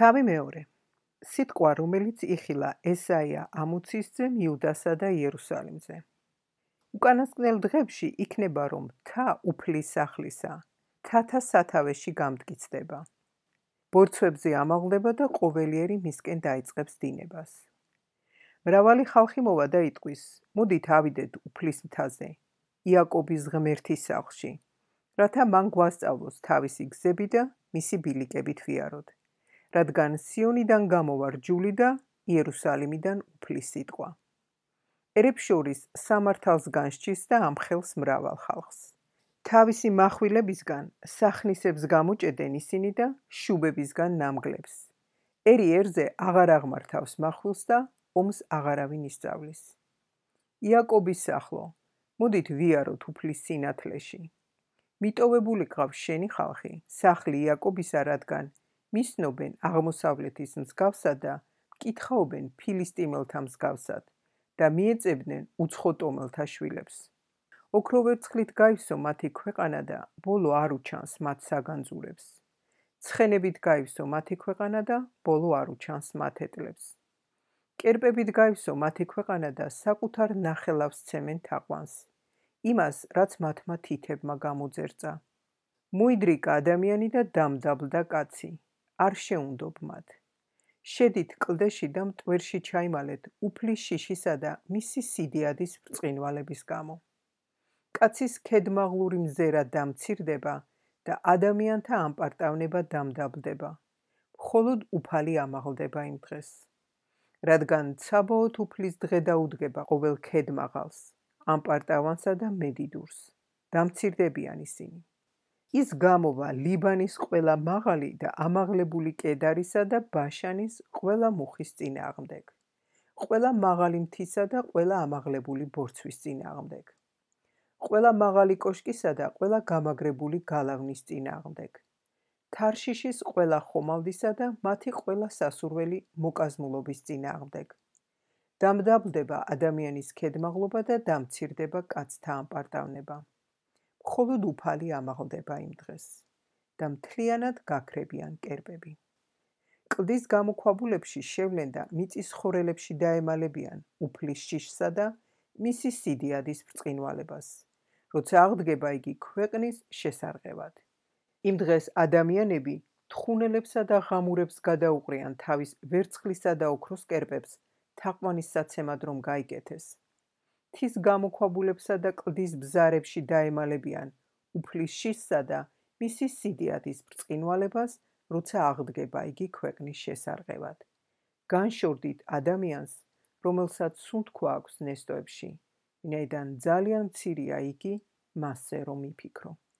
თავი მეორე. სიტყვა, რომელიც იხილა ესაია ამოცისძემ იუდასა და იერუსალიმზე. უკანასკნელ დღებში იქნება, რომ მთა უფლის სახლისა, მთათა სათავეში გამტკიცდება. ბორცვებზე ამაღლდება და ყოველიერი მისკენ დაიწყებს დინებას. მრავალი ხალხი მოვა და იტყვის, მოდით ავიდეთ უფლის მთაზე, იაკობის ღმერთის სახლში, რათა მან გვასწავლოს თავისი გზები და მისი ბილიკებით ვიაროთ, რადგან სიონიდან გამოვა რჯული და იერუსალიმიდან უფლის სიტყვა. ერებს შორის სამართალს განსჯის და ამხელს მრავალ ხალხს. თავისი מחვილებისგან სახნისებს გამოჭედენ ისინი და შუბებისგან ნამგლებს. ერი ერზე აღარ აღმართავს מחვილს და ომს აღარავინ ისწავლის. იაკობის სახლო, მოდით ვიაროთ უფლის სინათლეში. მიტოვებული ყავს შენი ხალხი, სახლი იაკობისა, რადგან მისნობენ აღმოსავლეთის მსგავსად და მკითხაობენ ფილისტიმელთა მსგავსად და მიეწებდნენ უცხოტომელთა შვილებს. ოქროვერცხლით გაივსო მათი ქვეყანა და ბოლო არ უჩანს მათ საგანძურებს. ცხენებით გაივსო მათი ქვეყანა და ბოლო არ უჩანს მათეტლებს. კერპებით გაივსო მათი ქვეყანა და საკუთარ ნახელავს ცემენ თაყვანს, იმას, რაც მათმა თითებმა გამოძერწა. მოიდრიკა ადამიანი და დამდაბლდა კაცი, არ შეუნდობ მათ. შედით კლდეში და მტვერში ჩაიმალეთ უფლის შიშისა და მისი სიდიადის ბრწყინვალების გამო. კაცის ქედმაღლური მზერა დამცირდება და ადამიანთა ამპარტავნება დამდაბლდება. მხოლოდ უფალი ამაღლდება იმ დღეს. რადგან ცაბაოთ უფლის დღე დაუდგება ყოველ ქედმაღალს, ამპარტავანსა და მედიდურს. დამცირდებიან ისინი. ის გამოვა ლიბანის ყველა მაღალი და ამაღლებული კედარისა და ბაშანის ყველა მუხის წინააღმდეგ, ყველა მაღალი მთისა და ყველა ამაღლებული ბორცვის წინააღმდეგ, ყველა მაღალი კოშკისა და ყველა გამაგრებული გალავნის წინააღმდეგ, თარშიშის ყველა ხომალდისა და მათი ყველა სასურველი მოკაზმულობის წინააღმდეგ. დამდაბლდება ადამიანის ქედმაღლობა და დამცირდება კაცთა ამპარტავნება. მხოლოდ უფალი ამაღლდება იმ დღეს და მთლიანად გაქრებიან კერპები. კლდის გამოქვაბულებში შევლენ და მიწის ხორელებში დაემალებიან უფლის შიშსა და მისი სიდიადის ბრწყინვალებას, როცა აღდგება იგი ქვეყნის შესარყევად. იმ დღეს ადამიანები თხუნელებსა და ღამურებს გადაუყრიან თავის ვერცხლისა და ოქროს კერპებს თაყვანისსაცემად რომ გაიკეთეს. მთის გამოქვაბულებსა და კლდის ბზარებში დაემალებიან უფლის შიშსა და მისი სიდიადის ბრწყინვალებას, როცა აღდგება იგი ქვეყნის შესარყევად. განშორდით ადამიანს, რომელსაც სუნთქვა აქვს ნესტოებში, ვინაიდან ძალიან მცირეა იგი მასზე რომ იფიქრო.